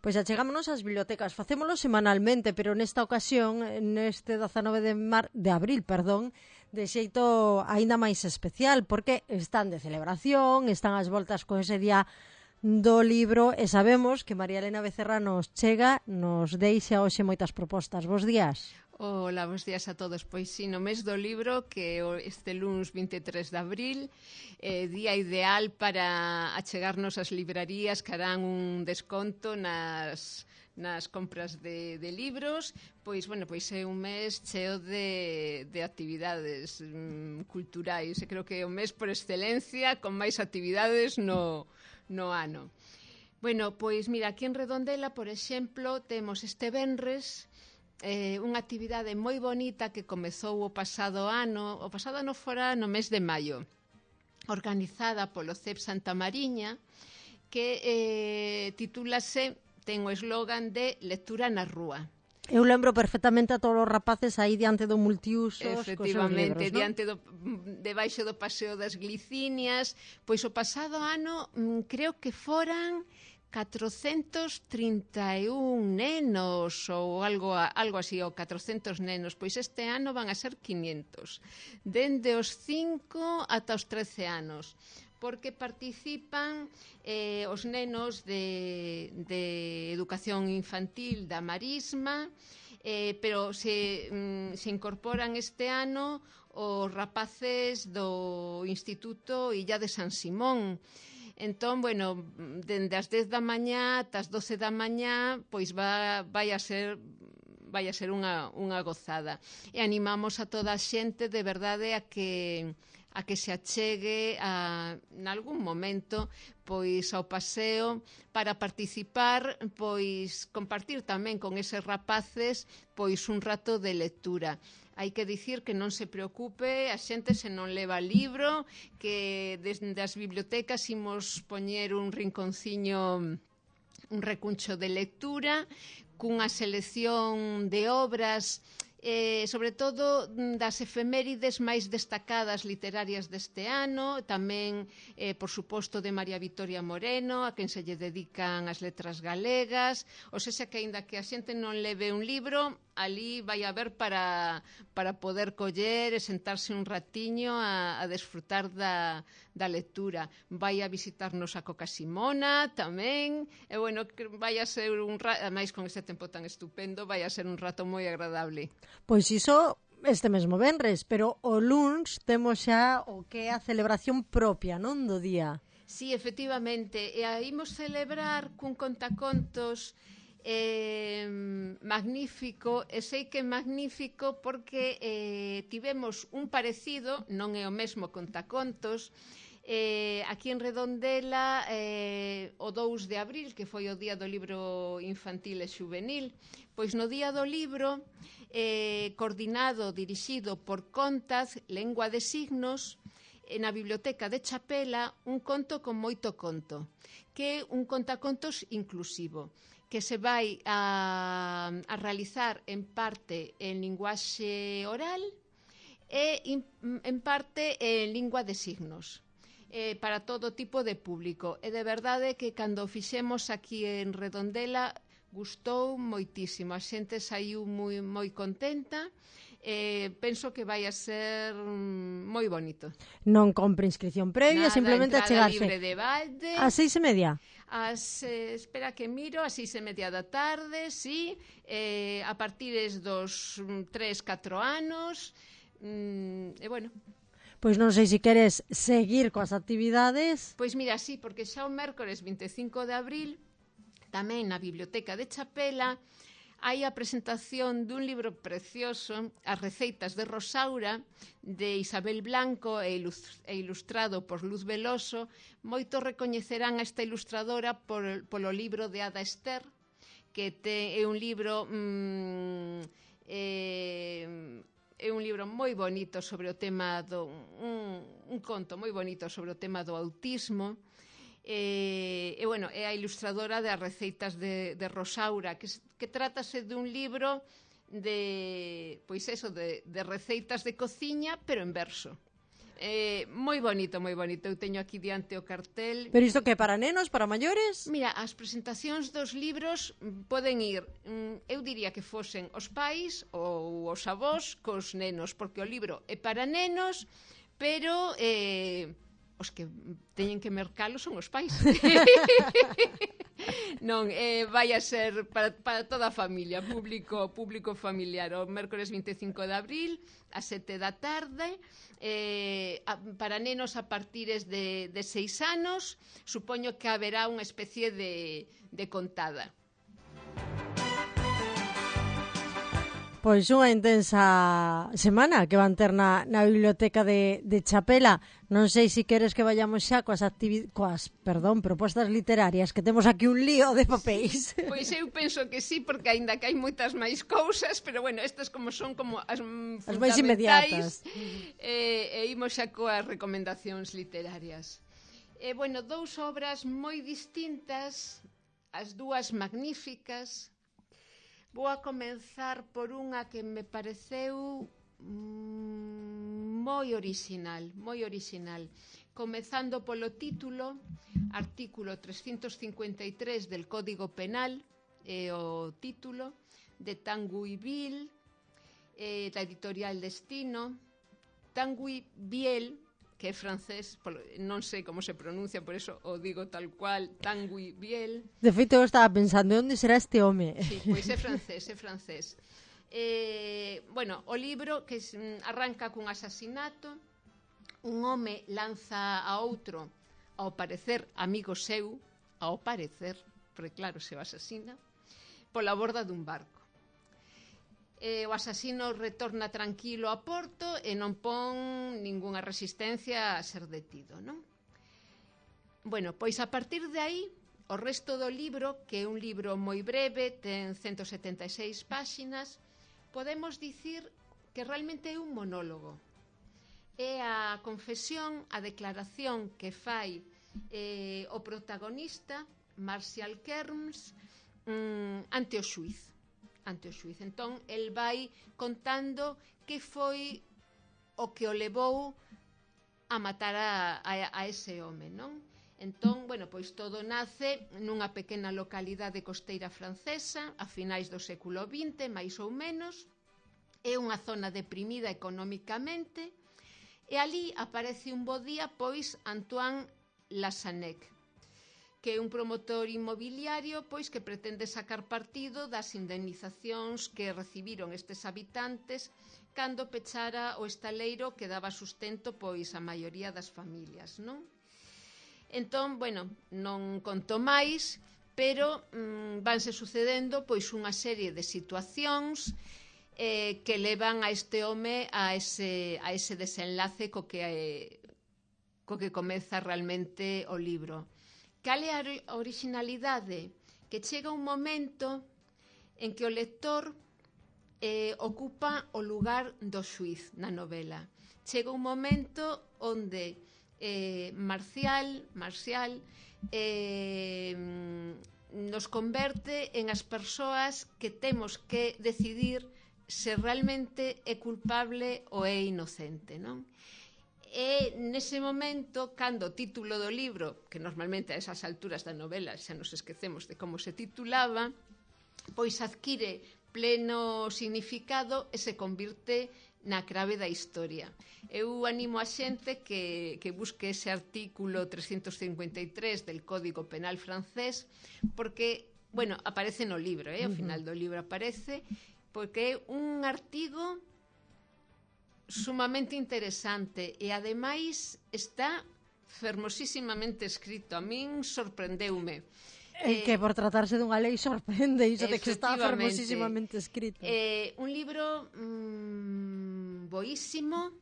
Pois achegámonos ás bibliotecas, facémolo semanalmente, pero nesta ocasión, neste 19 de abril, de xeito aínda máis especial, porque están de celebración, están as voltas con ese día do libro e sabemos que María Elena Becerra nos chega, nos deixa hoxe moitas propostas. Bos días. Ola, bons días a todos. Pois sí, no mes do libro, que este luns 23 de abril, día ideal para achegarnos ás librarías que harán un desconto nas compras de libros. Pois, bueno, pois é un mes cheo de actividades culturais. E creo que é o mes por excelencia con máis actividades no ano. Bueno, pois mira, aquí en Redondela, por exemplo, temos este venres unha actividade moi bonita que comezou o pasado ano fora no mes de maio, organizada polo CEP Santa Mariña, que titúlase, ten o eslogan de Lectura na Rúa. Eu lembro perfectamente a todos os rapaces aí diante do multiusos efectivamente, cos seus libros, diante debaixo do Paseo das Glicinias. Pois o pasado ano creo que foran 431 nenos ou algo así, ou 400 nenos. Pois este ano van a ser 500, dende os 5 ata os 13 anos, porque participan os nenos de educación infantil da Marisma, pero se incorporan este ano os rapaces do Instituto Illa de San Simón. Entón, bueno, dende as 10 da mañá ata as 12 da mañá, pois vai a ser unha gozada. E animamos a toda a xente, de verdade, a que se achegue nalgún momento pois ao paseo para participar, pois compartir tamén con eses rapaces pois un rato de lectura. Hai que dicir que non se preocupe a xente se non leva libro, que desde as bibliotecas imos poñer un rinconciño, un recuncho de lectura, cunha selección de obras, sobre todo das efemérides máis destacadas literarias deste ano, tamén, por suposto, de María Vitoria Moreno, a quen se lle dedican as letras galegas, ou sexa que aínda que a xente non leve un libro, ali vai haber para poder coller e sentarse un ratiño a desfrutar da lectura. Vai a visitarnos a Coca Simona tamén, e bueno, vai a ser ademais con este tempo tan estupendo, vai a ser un rato moi agradable. Pois iso este mesmo venres, pero o luns temos xa o que é a celebración propia, non, do día. Sí, efectivamente, e a imos celebrar cun contacontos magnífico, e sei que é magnífico porque tivemos un parecido, non é o mesmo contacontos, aquí en Redondela o 2 de abril, que foi o día do libro infantil e xuvenil. Pois no día do libro, coordinado, dirixido por Contaz, Lengua de Signos, na Biblioteca de Chapela, un conto con moito conto, que é un contacontos inclusivo, que se vai a realizar en parte en linguaxe oral e en parte en lingua de signos, para todo tipo de público. E de verdade que cando o fixemos aquí en Redondela gustou moitísimo, a xente saiu moi contenta. Penso que vai a ser moi bonito. Non compre inscripción previa, simplemente a chegarse. Libre de balde. Ás 6:30? Espera que miro, ás 6:30 da tarde, sí, a partir dos 3-4 anos, e bueno. Pois non sei se queres seguir coas actividades. Pois mira, sí, porque xa o mércores 25 de abril, tamén na Biblioteca de Chapela, hai a presentación dun libro precioso, As receitas de Rosaura, de Isabel Blanco e ilustrado por Luz Veloso. Moitos recoñecerán a esta ilustradora polo libro de Ada Ester, que é un libro moi bonito sobre o tema un conto moi bonito sobre o tema do autismo. E bueno, é a ilustradora de As receitas de Rosaura, que trátase dun libro de receitas de cociña, pero en verso. Moi bonito, moi bonito. Eu teño aquí diante o cartel. Pero isto que para nenos, para maiores? Mira, as presentacións dos libros poden ir, eu diría que fosen os pais ou os avós cos nenos, porque o libro é para nenos, pero os que teñen que mercalo son os pais. Non, vai a ser para toda a familia, público familiar. O mércores 25 de abril, a 7 da tarde, para nenos a partires de 6 anos, supoño que haberá unha especie de contada. Pois unha intensa semana que van ter na biblioteca de Chapela. Non sei se queres que vayamos xa coas propostas literarias, que temos aquí un lío de papéis. Pois eu penso que sí, porque aínda que hai moitas máis cousas, pero bueno, estas como son como as máis inmediatas. E imos xa coas recomendacións literarias. Bueno, dous obras moi distintas, as dúas magníficas. Vou a comenzar por unha que me pareceu moi original, comezando polo título, artículo 353 del Código Penal, o título, de Tanguy Biel, da editorial Destino. Tanguy Biel, que é francés, non sei como se pronuncia, por eso o digo tal cual, Tanguy Biel. De feito, eu estaba pensando, onde será este home? Sí, pois é francés. Bueno, o libro que arranca cun asasinato, un home lanza a outro, ao parecer amigo seu, porque claro, se o asasina, pola borda dun barco. O asasino retorna tranquilo a porto e non pon ningunha resistencia a ser detido, non? Bueno, pois a partir de aí, o resto do libro, que é un libro moi breve, ten 176 páxinas, podemos dicir que realmente é un monólogo. É a confesión, a declaración que fai o protagonista, Martial Kerms, ante o xuiz. Entón, el vai contando que foi o que o levou a matar a ese home, non? Entón, bueno, pois todo nace nunha pequena localidade costeira francesa a finais do século XX, máis ou menos. É unha zona deprimida económicamente e ali aparece un bo día, pois, Antoine Lassanec, que é un promotor inmobiliario pois que pretende sacar partido das indemnizacións que recibiron estes habitantes cando pechara o estaleiro que daba sustento pois a maioría das familias, non? Entón, bueno, non conto máis, pero vanse sucedendo pois unha serie de situacións que levan a este home a ese desenlace co que comeza realmente o libro. Cal é a originalidade? Que chega un momento en que o lector ocupa o lugar do xuiz na novela. Chega un momento onde Marcial nos converte en as persoas que temos que decidir se realmente é culpable ou é inocente, non? E nese momento, cando o título do libro, que normalmente a esas alturas da novela xa nos esquecemos de como se titulaba, pois adquire pleno significado e se convirte na clave da historia. Eu animo a xente que busque ese artículo 353 del Código Penal francés, porque, bueno, aparece no libro, ao final do libro aparece, porque é un artigo sumamente interesante e ademais está fermosísimamente escrito. A min sorprendeume. Que por tratarse dunha lei sorprende iso de que está fermosísimamente escrito. Un libro boísimo,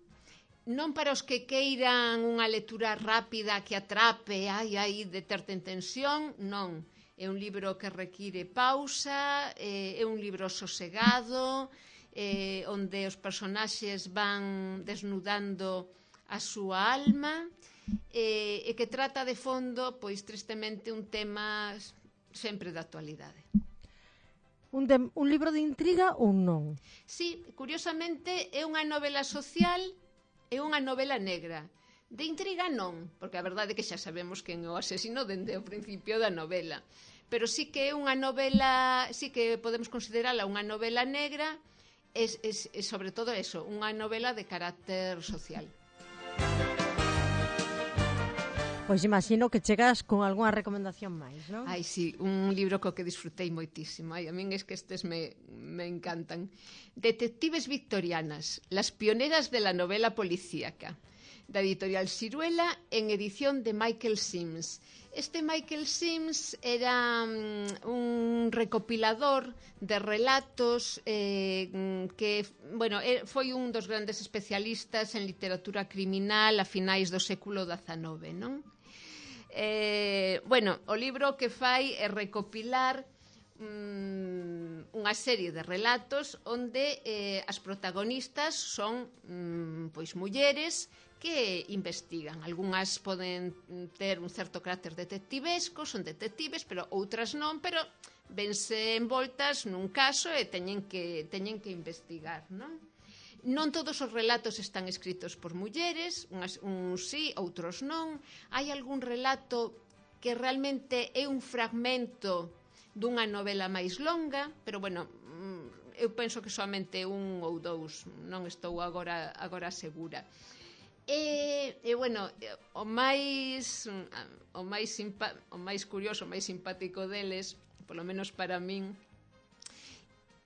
non para os que queiran unha lectura rápida que atrape, de terte en tensión, non. É un libro que require pausa, é un libro sosegado, onde os personaxes van desnudando a súa alma e que trata de fondo, pois tristemente, un tema sempre de actualidade. Un libro de intriga ou non? Sí, curiosamente é unha novela social é unha novela negra. De intriga non, porque a verdade é que xa sabemos quen é o asesino dende o principio da novela. Pero sí que é unha novela, sí que podemos considerala unha novela negra, e sobre todo eso, unha novela de carácter social. Pois imagino que chegas con algunha recomendación máis, non? Ai, sí, un libro co que disfrutei moitísimo. Ai, a min es que estes me encantan. Detectives victorianas, las pioneras de la novela policíaca, da editorial Siruela, en edición de Michael Sims. Este Michael Sims era un recopilador de relatos que, bueno, foi un dos grandes especialistas en literatura criminal a finais do século XIX, non? Bueno, o libro que fai é recopilar unha serie de relatos onde as protagonistas son pois mulleres que investigan. Algúnas poden ter un certo carácter detectivesco, son detectives, pero outras non, pero vense envoltas nun caso e teñen que investigar, non? Non todos os relatos están escritos por mulleres, uns sí, outros non. Hai algún relato que realmente é un fragmento dunha novela máis longa, pero, bueno, eu penso que soamente un ou dous, non estou agora segura. E bueno, o máis curioso, o máis simpático deles, polo menos para min,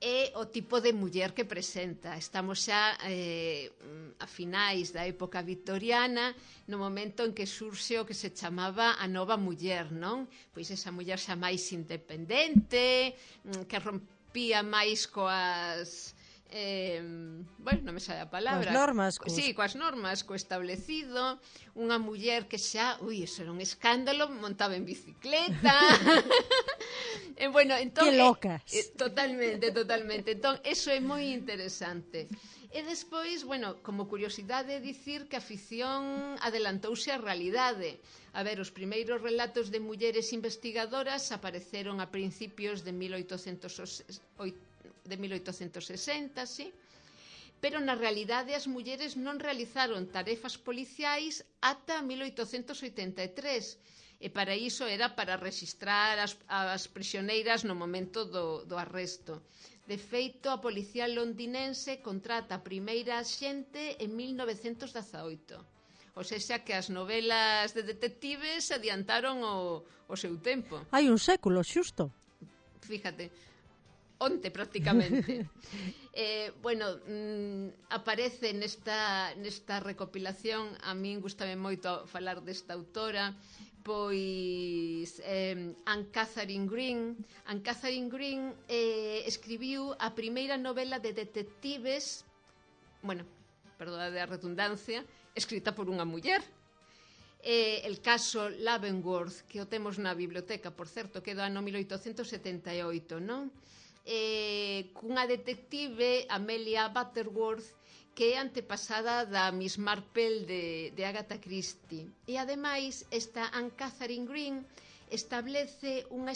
é o tipo de muller que presenta. Estamos xa a finais da época victoriana, no momento en que surxe o que se chamaba a nova muller, non? Pois esa muller xa máis independente, que rompía máis coas... bueno, non me sabe a palabra. Coas normas. Sí, coas normas, co establecido. Unha muller que xa, eso era un escándalo, montaba en bicicleta. Bueno, entón, que locas. Totalmente. Entón, eso é moi interesante. E despois, bueno, como curiosidade dicir que a ficción adelantouse á realidade. A ver, os primeiros relatos de mulleres investigadoras apareceron a principios de 1860, sí? Pero na realidade as mulleres non realizaron tarefas policiais ata 1883, e para iso era para rexistrar as prisioneiras no momento do arresto. De feito, a policía londinense contrata a primeira axente en 1918. O sexa que as novelas de detectives adiantaron o seu tempo. Hai un século, xusto. Fíjate, onte prácticamente. Bueno, aparece nesta recopilación, a min gustame moito falar desta autora, pois Anne Catherine Green. Anne Catherine Green escribiu a primeira novela de detectives, bueno, perdón a redundancia, escrita por unha muller. El caso Leavenworth, que o temos na biblioteca, por certo, que é do ano 1878, non? Cunha detective, Amelia Butterworth, que é antepasada da Miss Marple de Agatha Christie. E ademais, esta Anne Catherine Green establece unha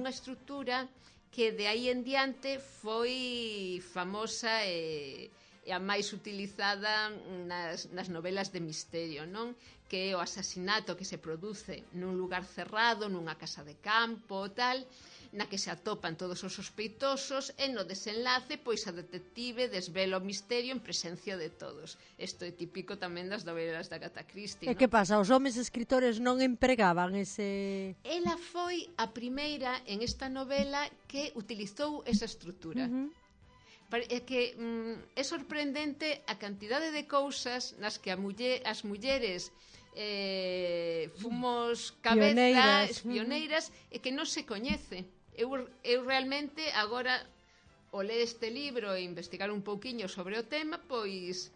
estrutura que de aí en diante foi famosa e a máis utilizada nas novelas de misterio, non? Que é o asasinato que se produce nun lugar cerrado, nunha casa de campo, tal, na que se atopan todos os sospeitosos e no desenlace, pois a detective desvela o misterio en presencia de todos. Isto é típico tamén das novelas de Agatha Christie, E que pasa? Os homes escritores non empregaban ese... Ela foi a primeira en esta novela que utilizou esa estrutura. É que é sorprendente a cantidade de cousas nas que as mulleres fomos cabezas pioneiras e que non se coñece. Eu realmente agora ao ler este libro e investigar un pouquiño sobre o tema, pois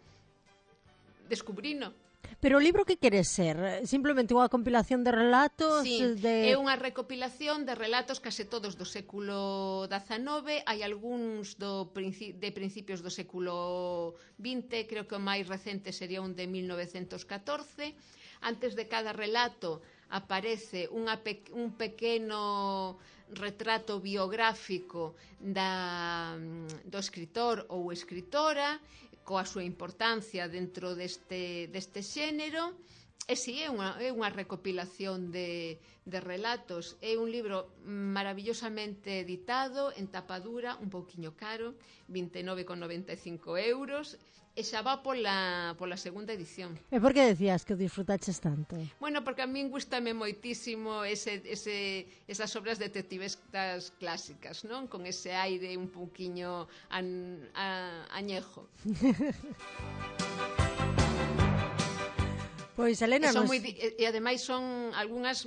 descubrino. Pero o libro que quere ser? Simplemente unha compilación de relatos? Sí, é unha recopilación de relatos case todos do século XIX. Hai algúns de principios do século XX, creo que o máis recente sería un de 1914. Antes de cada relato aparece un pequeno retrato biográfico do escritor ou escritora, coa súa importancia dentro deste xénero. E si, é unha recopilación de relatos. É un libro maravillosamente editado, en tapadura, un pouquiño caro, 29,95 €, e xa va pola segunda edición. E por que decías que o disfrutaches tanto? Bueno, porque a min gustame moitísimo esas obras detectivescas clásicas, non? Con ese aire un pouquiño añejo. Pois, Elena, E ademais son algunhas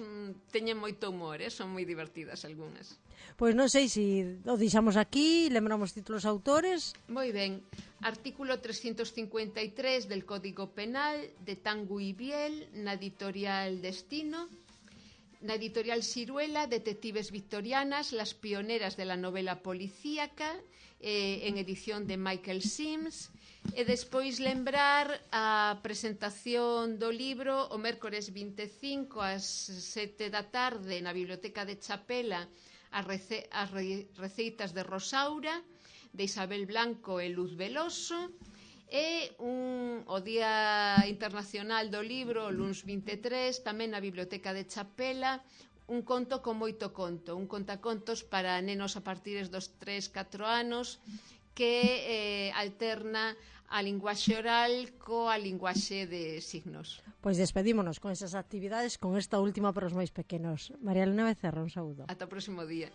teñen moito humor, son moi divertidas algunhas. Pois non sei se o deixamos aquí, lembramos títulos autores. Moi ben. Artículo 353 del Código Penal de Tanguy y Biel, na editorial Destino. Na editorial Siruela, Detectives Victorianas, las pioneras de la novela policíaca, en edición de Michael Sims. E despois lembrar a presentación do libro o mércores 25 ás 7 da tarde na Biblioteca de Chapela, as receitas de Rosaura, de Isabel Blanco e Luz Veloso, e o Día Internacional do Libro, o luns 23, tamén na Biblioteca de Chapela, un conto con moito conto, un contacontos para nenos a partir dos 3-4 anos, que alterna a linguaxe oral coa linguaxe de signos. Pois despedímonos con esas actividades, con esta última para os máis pequenos. María Elena Becerra, un saúdo. Ata o próximo día.